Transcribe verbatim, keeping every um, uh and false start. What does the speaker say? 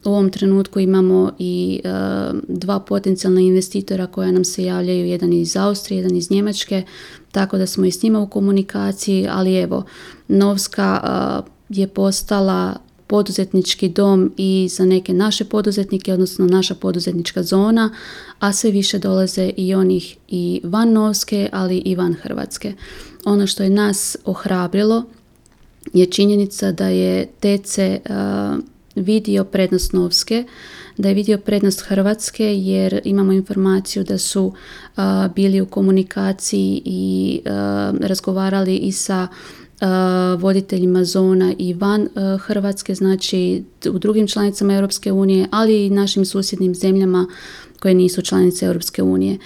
U ovom trenutku imamo i uh, dva potencijalna investitora koja nam se javljaju, jedan iz Austrije, jedan iz Njemačke, tako da smo i s njima u komunikaciji, ali evo, Novska uh, je postala poduzetnički dom i za neke naše poduzetnike, odnosno naša poduzetnička zona, a sve više dolaze i onih i van Novske, ali i van Hrvatske. Ono što je nas ohrabrilo je činjenica da je T C uh, vidio prednost Novske, da je vidio prednost Hrvatske, jer imamo informaciju da su uh, bili u komunikaciji i uh, razgovarali i sa Uh, voditeljima zona i van uh, Hrvatske, znači u drugim članicama Europske unije, ali i našim susjednim zemljama koje nisu članice Europske unije.